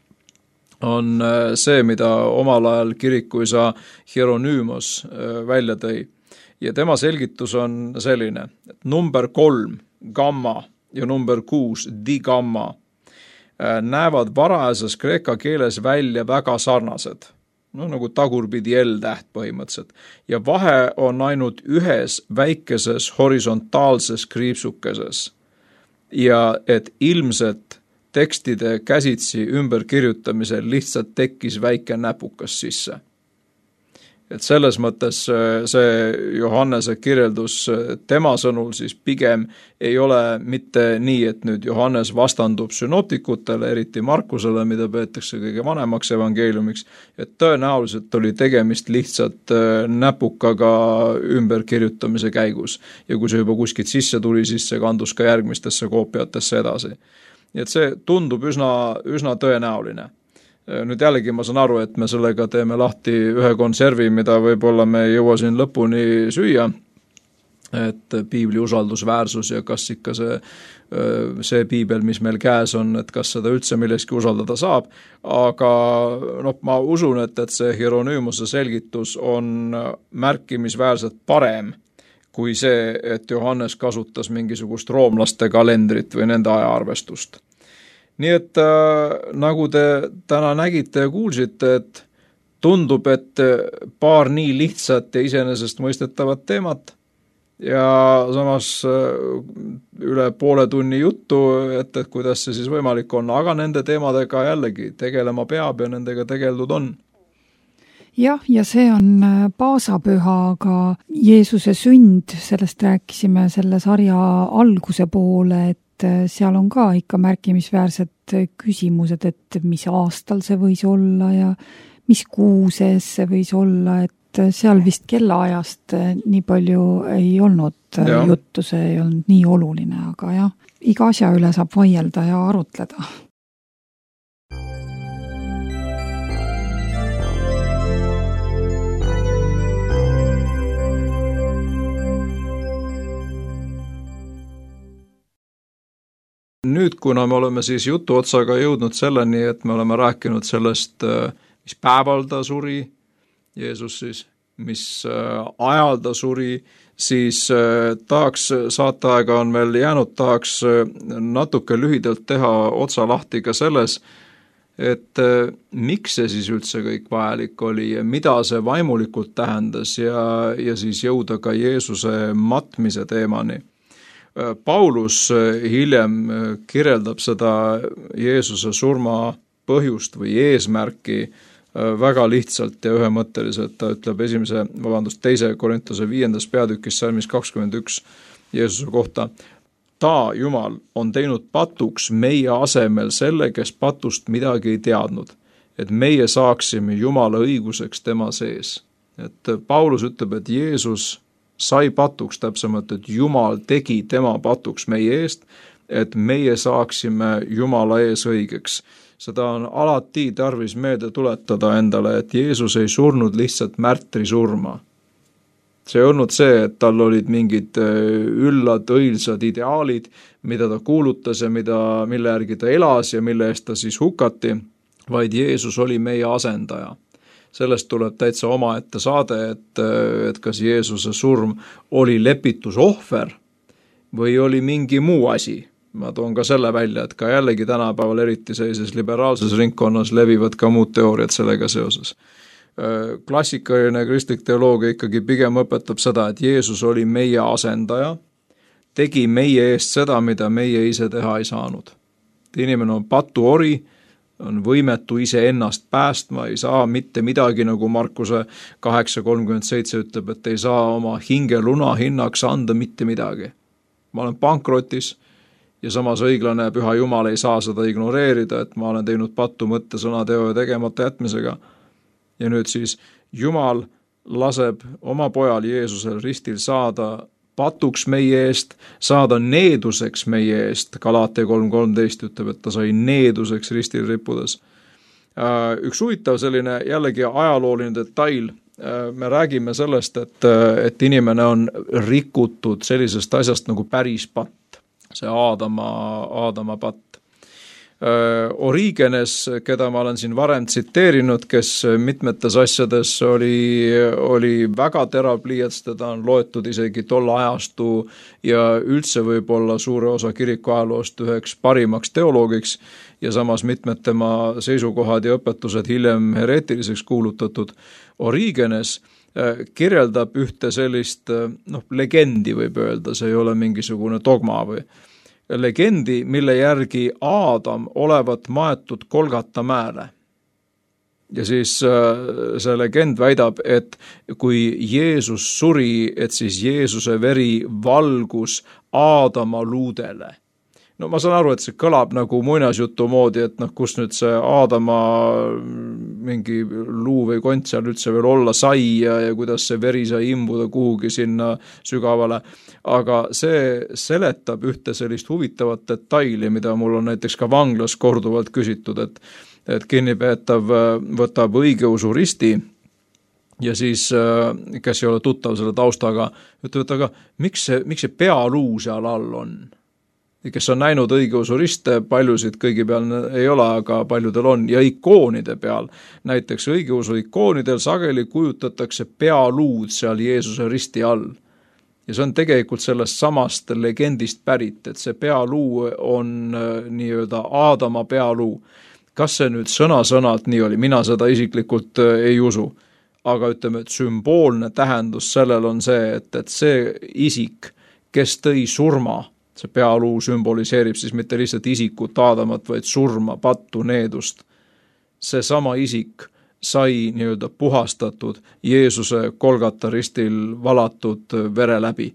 C: on see, mida omal ajal kirikuisa Hieronymos välja tõi. Ja tema selgitus on selline, et number kolm, gamma, ja number kuus, digamma, näevad varajases kreeka keeles välja väga sarnased. No nagu tagurpidi L-täht põhimõtteliselt. Ja vahe on ainult ühes väikeses horisontaalses kriipsukeses. Ja et ilmselt tekstide käsitsi ümberkirjutamisel lihtsalt tekkis väike näpukas sisse. Et selles mõttes see Johannese kirjeldus tema sõnul siis pigem ei ole mitte nii, et nüüd Johannes vastandub synoptikutele, eriti Markusele, mida peetakse kõige vanemaks evangeeliumiks, et tõenäoliselt oli tegemist lihtsalt näpukaga ümberkirjutamise käigus. Ja kui see juba kuskilt sisse tuli, siis see kandus ka järgmistesse koopiatesse edasi. Nii et see tundub üsna, üsna tõenäoline. Nüüd jällegi ma saan aru, et me sellega teeme lahti ühe konservi, mida võib-olla me ei jõua siin lõpuni süüa, et piibli usaldusväärsus ja kas ikka see, see piibel, mis meil käes on, et kas seda üldse milleski usaldada saab, aga noh, ma usun, et, et see Hieronymose selgitus on märkimisväärselt parem kui see, et Johannes kasutas mingisugust roomlaste kalendrit või nende ajaarvestust. Nii et äh, nagu te täna nägite ja kuulsite, et tundub, et paar nii lihtsat ja iseenesest mõistetavat teemat ja samas üle poole tunni juttu, et, et kuidas see siis võimalik on, aga nende teemadega jällegi tegelema peab ja nendega tegeldud on.
B: Jah, ja see on paasapüha, aga Jeesuse sünd, sellest rääkisime selle sarja alguse poole, et seal on ka ikka märkimisväärsed küsimused, et mis aastal see võis olla ja mis kuu sees see võis olla, et seal vist kellaajast nii palju ei olnud ja. juttu, see ei olnud nii oluline, aga jah, iga asja üle saab vaielda ja arutleda.
C: Nüüd, kuna me oleme siis jutu otsaga jõudnud selleni, et me oleme rääkinud sellest, mis päeval ta suri, Jeesus siis, mis ajal ta suri, siis tahaks, saateaega on meil jäänud, tahaks natuke lühidalt teha otsa lahti ka selles, et miks see siis üldse kõik vajalik oli ja mida see vaimulikult tähendas ja, ja siis jõuda ka Jeesuse matmise teemani. Paulus hiljem kirjeldab seda Jeesuse surma põhjust või eesmärki väga lihtsalt ja ühemõtteliselt. Ta ütleb esimese, vabandust, teise Korintuse viiendas peatükis salmis kakskümmend üks Jeesuse kohta. Ta, Jumal, on teinud patuks meie asemel selle, kes patust midagi ei teadnud, et meie saaksime Jumala õiguseks tema sees. Et Paulus ütleb, et Jeesus sai patuks täpsemalt, et Jumal tegi tema patuks meie eest, et meie saaksime Jumala ees õigeks. Seda on alati tarvis meelde tuletada endale, et Jeesus ei surnud lihtsalt märtri surma. See ei olnud see, et tal olid mingid üllad, õilsad ideaalid, mida ta kuulutas ja mida, mille järgi ta elas ja mille eest ta siis hukati, vaid Jeesus oli meie asendaja. Sellest tuleb täitsa omaette saade, et, et kas Jeesuse surm oli lepitusohver või oli mingi muu asi. Ma toon ka selle välja, et ka jällegi tänapäeval eriti sellises liberaalses ringkonnas levivad ka muud teooriad sellega seoses. Klassikaline kristlik teoloogia ikkagi pigem õpetab seda, et Jeesus oli meie asendaja, tegi meie eest seda, mida meie ise teha ei saanud. Inimene on patuori, on võimetu ise ennast päästma, ei saa mitte midagi, nagu Markuse kaheksa kolmkümmend seitse ütleb, et ei saa oma hinge luna hinnaks anda mitte midagi. Ma olen pankrotis ja samas õiglane püha Jumal ei saa seda ignoreerida, et ma olen teinud pattu mõtte, sõna, teo ja tegemata jätmisega. Ja nüüd siis Jumal laseb oma pojal Jeesusel ristil saada patuks meie eest, saada needuseks meie eest. Galaatia kolm kolmteist ütleb, et ta sai needuseks ristil rippudes. Üks huvitav selline jällegi ajalooline detail. Me räägime sellest, et, et inimene on rikutud sellisest asjast nagu päris patt. See Aadama, Aadama patt. Origenes, keda ma olen siin varem tsiteerinud, kes mitmetes asjades oli, oli väga terav pliiats, teda on loetud isegi tolle ajastu ja üldse võib-olla suure osa kiriku ajaloost üheks parimaks teoloogiks ja samas mitmed tema seisukohad ja õpetused hiljem hereetiliseks kuulutatud. Origenes kirjeldab ühte sellist noh, legendi võib öelda, see ei ole mingisugune dogma või legendi, mille järgi Aadam olevat maetud Golgata mäele. Ja siis see legend väidab, et kui Jeesus suri, et siis Jeesuse veri valgus Aadama luudele. No ma saan aru, et see kõlab nagu muinasjutu moodi, et noh, kus nüüd see Aadama mingi luu või kont seal üldse veel olla sai ja, ja kuidas see veri sai imbuda kuhugi sinna sügavale. Aga see seletab ühte sellist huvitavat detaili, mida mul on näiteks ka vanglas korduvalt küsitud, et, et kinnipeetav võtab õigeusu risti ja siis, kes ei ole tuttav selle taustaga, ütleb, et aga miks see, miks see pealuu seal all on? Kes on näinud õigeusu riste, paljusid kõigi peal ei ole, aga paljudel on, ja ikoonide peal. Näiteks õigeusu ikoonidel sageli kujutatakse pealuud seal Jeesuse risti all. Ja see on tegelikult sellest samast legendist pärit, et see pealuu on nii-öelda Aadama pealuu. Kas see nüüd sõna-sõnalt nii oli? Mina seda isiklikult ei usu. aga ütleme, et sümboolne tähendus sellel on see, et, et see isik, kes tõi surma, see pealuu sümboliseerib siis mitte lihtsalt isikut Aadamat, vaid surma, pattu, needust. See sama isik sai nii-öelda puhastatud Jeesuse Golgata ristil valatud vere läbi.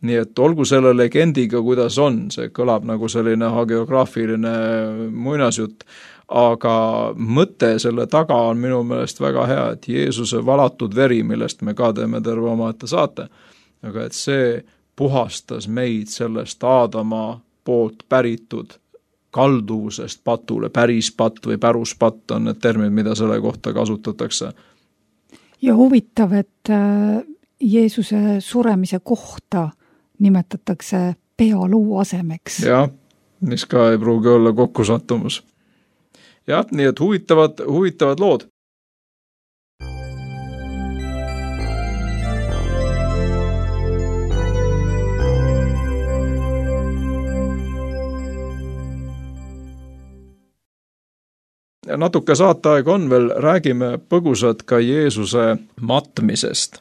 C: Nii et olgu selle legendiga, kuidas on, see kõlab nagu selline hagiograafiline muinasjutt, aga mõte selle taga on minu meelest väga hea, et Jeesuse valatud veri, millest me ka teeme terve omaette saate, aga et see puhastas meid sellest Aadama poolt päritud kalduvusest patule, päris patt või päruspatt on need terminid, mida selle kohta kasutatakse.
B: Ja huvitav, et Jeesuse suremise kohta nimetatakse pealuu asemeks.
C: Jah, mis ka ei pruugi olla kokkusattumus. Jah, nii et huvitavad, huvitavad lood. Ja natuke saateaeg on veel, räägime põgusalt ka Jeesuse matmisest.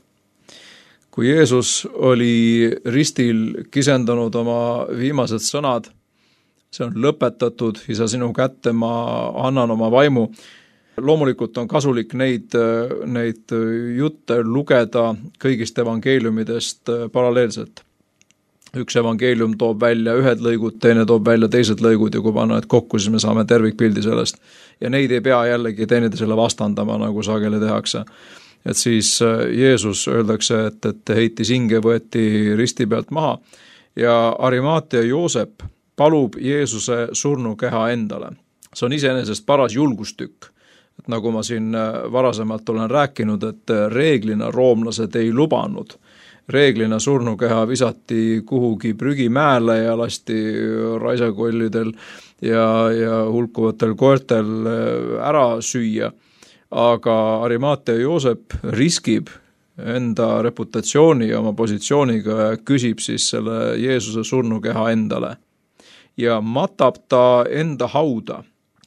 C: Kui Jeesus oli ristil kisendanud oma viimased sõnad, see on lõpetatud, isa sinu kätte, ma annan oma vaimu. Loomulikult on kasulik neid, neid jutte lugeda kõigist evangeeliumidest paralleelselt. Üks evangeelium toob välja ühed lõigud, teine toob välja teised lõigud ja kui panna need kokku, siis me saame tervikpildi sellest. Ja neid ei pea jällegi teineteisele vastandama, nagu sageli tehakse. Et siis Jeesus öeldakse, et, et heitis hinge, võeti risti pealt maha ja Arimaatia Joosep palub Jeesuse surnukeha endale. See on iseenesest paras julgustükk. Et nagu ma siin varasemalt olen rääkinud, et reeglina roomlased ei lubanud. Reeglina surnukeha visati kuhugi prügimäele ja lasti raisakollidel ja, ja hulkuvatel koertel ära süüa. Aga Arimaatia Joosep riskib enda reputatsiooni ja oma positsiooniga ja küsib siis selle Jeesuse surnukeha endale. Ja matab ta enda hauda,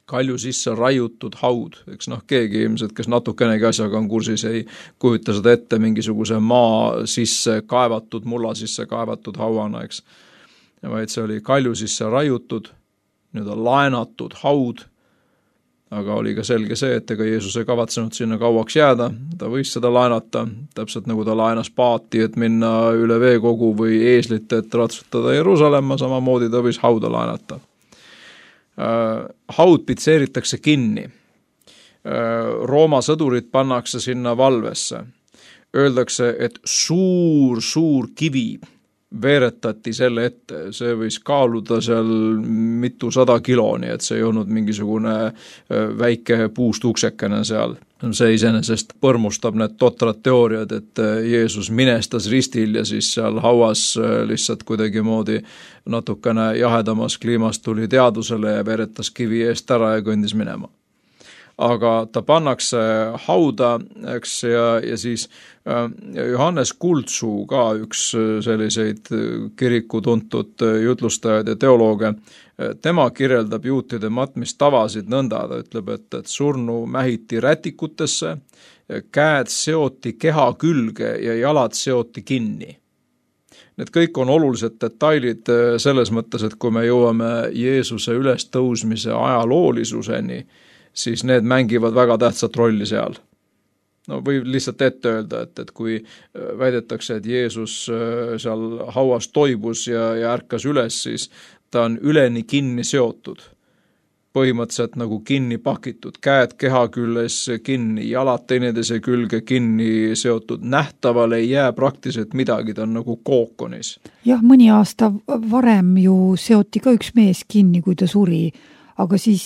C: kalju sisse raiutud haud. Eks noh, keegi ilmselt, kes natukenegi asjaga on kursis, ei kujuta seda ette mingisuguse maa sisse kaevatud, mulla sisse kaevatud hauana, eks. Ja vaid see oli kalju sisse raiutud, nii-öelda laenatud haud, aga oli ka selge see, et ega Jeesus ei kavatsenud sinna kauaks jääda, ta võis seda laenata, täpselt nagu ta laenas paati, et minna üle veekogu või eeslit, et ratsutada Jeruusalemma, samamoodi ta võis hauda laenata. Haud pitseeritakse kinni. Rooma sõdurid pannakse sinna valvesse. Öeldakse, et suur, suur kivi veeretati selle ette. See võis kaaluda seal mitu sada kiloni, et see ei olnud mingisugune väike puust uksekene seal. See iseenesest põrmustab need totrad teooriad, et Jeesus minestas ristil ja siis seal hauas lihtsalt kuidagi moodi natukene jahedamas kliimas tuli teadusele ja veeretas kivi eest ära ja kõndis minema. Aga ta pannakse hauda, eks, ja, ja siis Johannes Kultsuu, ka üks selliseid kiriku tuntud jutlustajaid ja teolooge, tema kirjeldab juutide matmistavasid nõnda, ta ütleb, et, et surnu mähiti rätikutesse, käed seoti keha külge ja jalad seoti kinni. Need kõik on olulised detailid selles mõttes, et kui me jõuame Jeesuse ülestõusmise ajaloolisuseni, siis need mängivad väga tähtsat rolli seal. No või lihtsalt ette öelda, et, et kui väidetakse, et Jeesus seal hauas toibus ja, ja ärkas üles, siis ta on üleni kinni seotud. Põhimõtteliselt nagu kinni pakitud, käed keha küljes kinni, jalad teineteise külge kinni seotud. Nähtaval ei jää praktiliselt midagi, ta on nagu kookonis.
B: Jah, mõni aasta varem ju seoti ka üks mees kinni, kui ta suri. Aga siis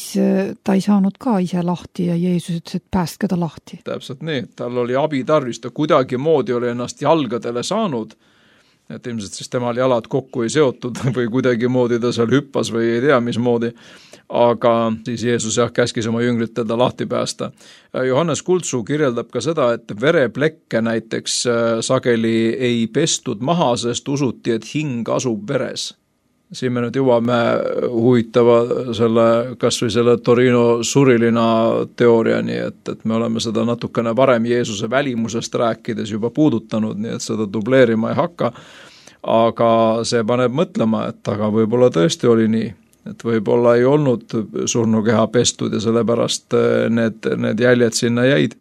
B: ta ei saanud ka ise lahti ja Jeesus ütles, et päästke ta lahti.
C: Täpselt nii, tal oli abi tarvis, ta kuidagi moodi oli ennast jalgadele saanud, et ilmselt siis temal jalad kokku ei seotud või kuidagi moodi ta seal hüppas või ei tea mis moodi, aga siis Jeesus jah käskis oma jüngrit teda lahti päästa. Johannes Kultsuu kirjeldab ka seda, et vereplekke näiteks sageli ei pestud maha, sest usuti, et hing asub veres. siin me nüüd jõuame huvitava selle, kas või selle Torino surilina teooriani, et, et me oleme seda natukene varem Jeesuse välimusest rääkides juba puudutanud, nii et seda dubleerima ei hakka, aga see paneb mõtlema, et aga võib-olla tõesti oli nii, et võib-olla ei olnud surnukeha pestud ja sellepärast need, need jäljed sinna jäid.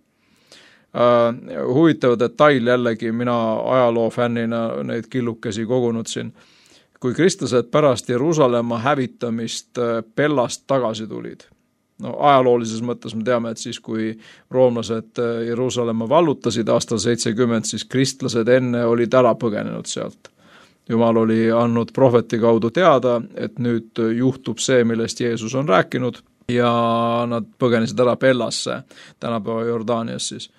C: Uh, huvitav detail jällegi, mina ajaloo fännina neid killukesi kogunud siin, kui kristlased pärast Jeruusalemma hävitamist Pellast tagasi tulid. No ajaloolises mõttes me teame, et siis kui roomlased Jeruusalemma vallutasid aastal seitsekümmend, siis kristlased enne olid ära põgenenud sealt. Jumal oli andnud prohveti kaudu teada, et nüüd juhtub see, millest Jeesus on rääkinud ja nad põgenesid ära Pellasse, tänapäeva Jordaanias siis.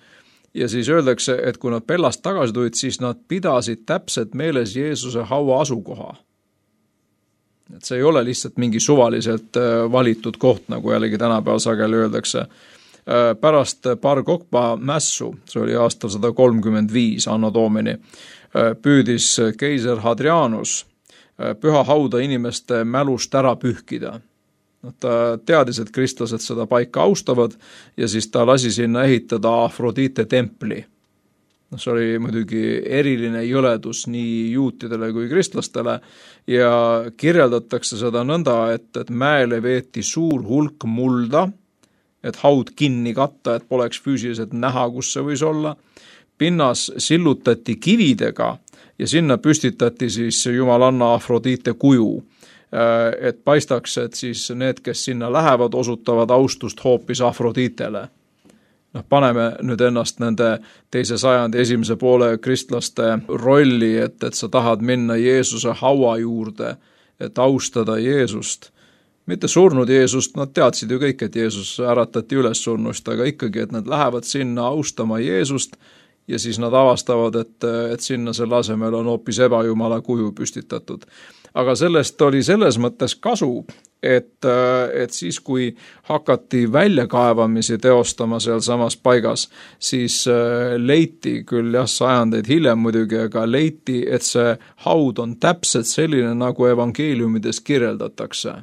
C: Ja siis öeldakse, et kui nad Pellast tagasi tulid, siis nad pidasid täpselt meeles Jeesuse haua asukoha. Et see ei ole lihtsalt mingi suvaliselt valitud koht, nagu jällegi tänapäeval sageli öeldakse. Pärast Bar Kokhba mässu, see oli aastal sada kolmkümmend viis Anno Domini, püüdis keiser Hadrianus püha hauda inimeste mälust ära pühkida. Ta teadis, et kristlased seda paika austavad ja siis ta lasi sinna ehitada Afrodite templi. See oli muidugi eriline jõledus nii juutidele kui kristlastele ja kirjeldatakse seda nõnda, et, et mäele veeti suur hulk mulda, et haud kinni katta, et poleks füüsiliselt näha, kus see võis olla. Pinnas sillutati kividega ja sinna püstitati siis jumalanna Afrodite kuju, et paistaks, et siis need, kes sinna lähevad, osutavad austust hoopis Afroditele. Noh, paneme nüüd ennast nende teise sajandi esimese poole kristlaste rolli, et, et sa tahad minna Jeesuse haua juurde, et austada Jeesust. Mitte surnud Jeesust, nad teadsid ju kõik, et Jeesus äratati üles surnust, aga ikkagi, et nad lähevad sinna austama Jeesust ja siis nad avastavad, et, et sinna selle asemel on hoopis ebajumala kuju püstitatud. Aga sellest oli selles mõttes kasu, et, et siis kui hakati väljakaevamisi teostama seal samas paigas, siis leiti küll jah, sajandeid hiljem muidugi, aga leiti, et see haud on täpselt selline, nagu evangeeliumides kirjeldatakse.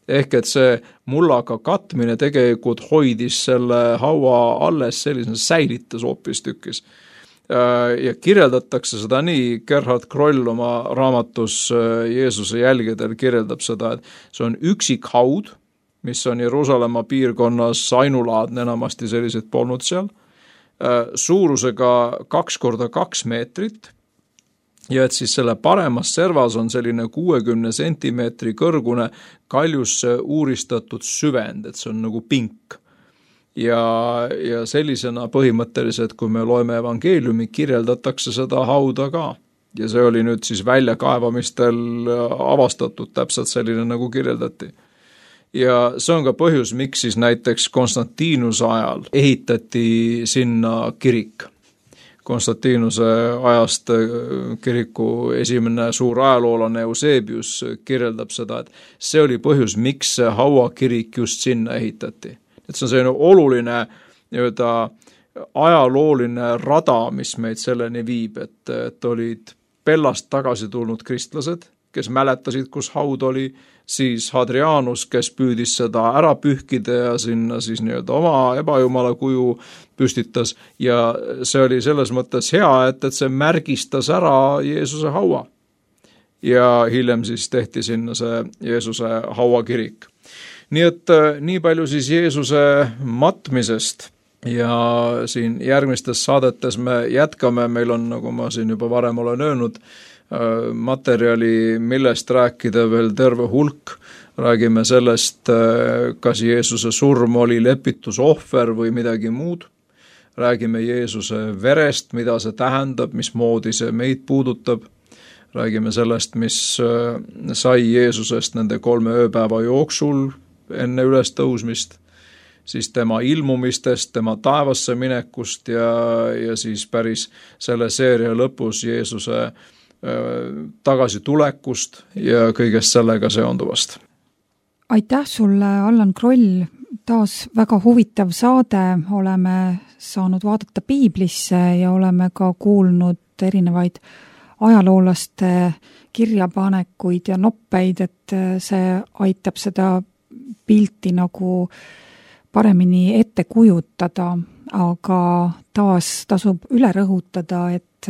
C: Ehk et see mullaga katmine tegelikult hoidis selle haua alles selline säilitas hoopis tükis. Ja kirjeldatakse seda nii, Gerhard Kroll oma raamatus Jeesuse jälgedel kirjeldab seda, et see on üksik haud, mis on Jeruusalemma piirkonnas ainulaadne, enamasti sellised polnud seal, suurusega kaks korda kaks meetrit ja et siis selle paremas servas on selline kuuekümne sentimeetri kõrgune kaljusse uuristatud süvend, et see on nagu pink. Ja, ja sellisena põhimõtteliselt, kui me loeme evangeeliumi, kirjeldatakse seda hauda ka. Ja see oli nüüd siis väljakaevamistel avastatud täpselt selline, nagu kirjeldati. Ja see on ka põhjus, miks siis näiteks Konstantinuse ajal ehitati sinna kirik. Konstantinuse ajast kiriku esimene suur ajaloolane Eusebius kirjeldab seda, et see oli põhjus, miks see hauakirik just sinna ehitati. Et see on selline oluline nii-öelda ajalooline rada, mis meid selleni viib, et, et olid Pellast tagasi tulnud kristlased, kes mäletasid, kus haud oli, siis Hadrianus, kes püüdis seda ära pühkida ja sinna siis nii-öelda oma ebajumala kuju püstitas ja see oli selles mõttes hea, et, et see märgistas ära Jeesuse haua. Ja hiljem siis tehti sinna see Jeesuse hauakirik. Nii et nii palju siis Jeesuse matmisest ja siin järgmistes saadetes me jätkame, meil on, nagu ma siin juba varem olen öelnud, materjali, millest rääkida veel terve hulk. Räägime sellest, kas Jeesuse surm oli lepitusohver või midagi muud. Räägime Jeesuse verest, mida see tähendab, mismoodi see meid puudutab. Räägime sellest, mis sai Jeesusest nende kolme ööpäeva jooksul enne üles tõusmist, siis tema ilmumistest, tema taevasse minekust ja, ja siis päris selle seeria lõpus Jeesuse äh, tagasi tulekust ja kõigest sellega seonduvast.
B: Aitäh sulle, Allan Kroll, taas väga huvitav saade, oleme saanud vaadata piiblisse ja oleme ka kuulnud erinevaid ajaloolaste kirjapanekuid ja noppeid, et see aitab seda pilti nagu paremini ette kujutada, aga taas tasub üle rõhutada, et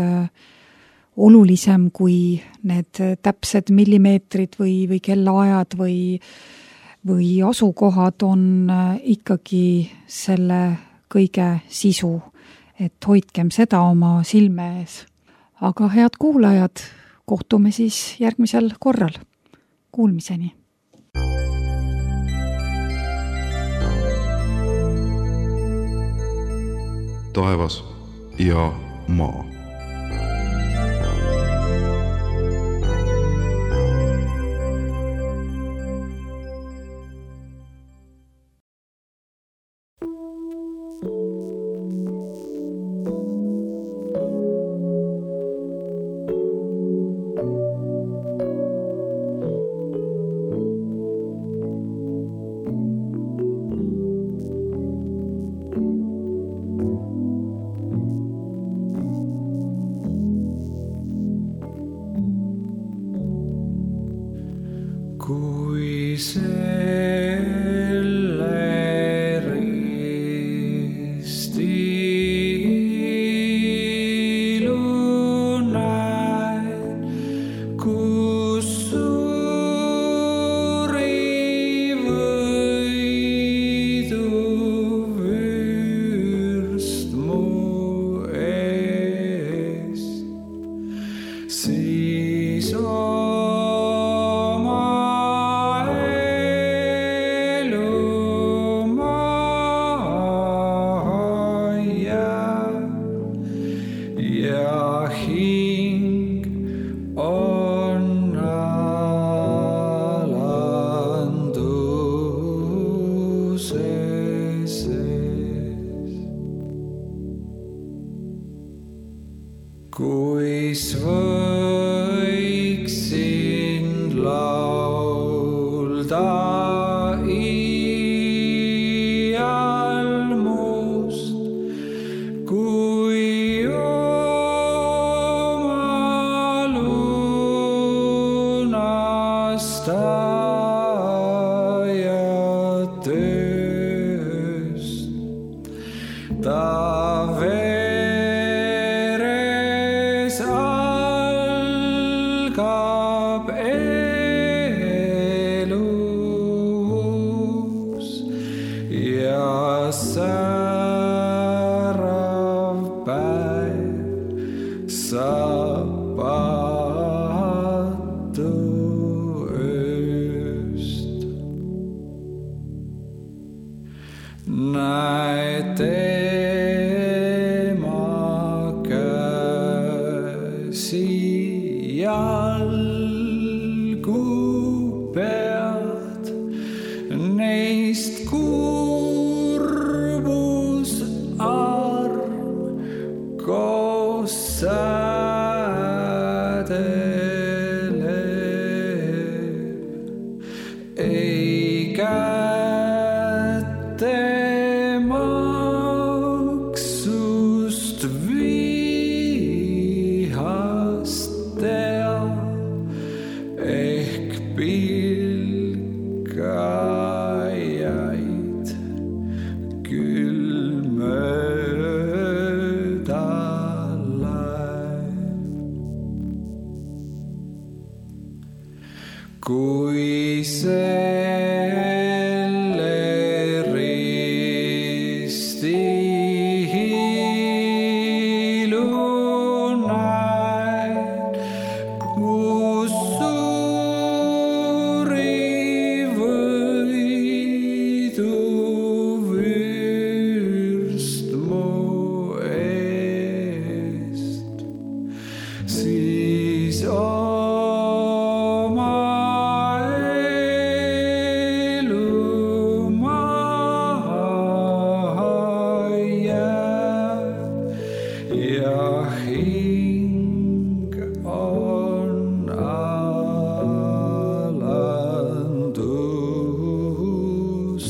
B: olulisem kui need täpsed millimeetrid või, või kellaajad või, või asukohad on ikkagi selle kõige sisu, et hoidkem seda oma silme ees. Aga head kuulajad, kohtume siis järgmisel korral. Kuulmiseni!
A: Taevas ja maa.
D: Kui selle risti hiilu näen, kus suuri võidu vürst mu eest, siis on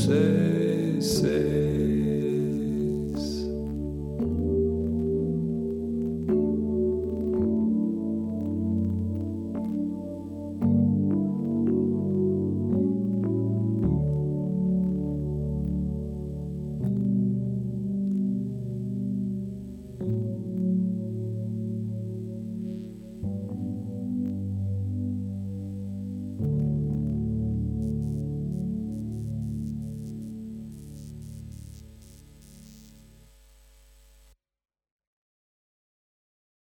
D: say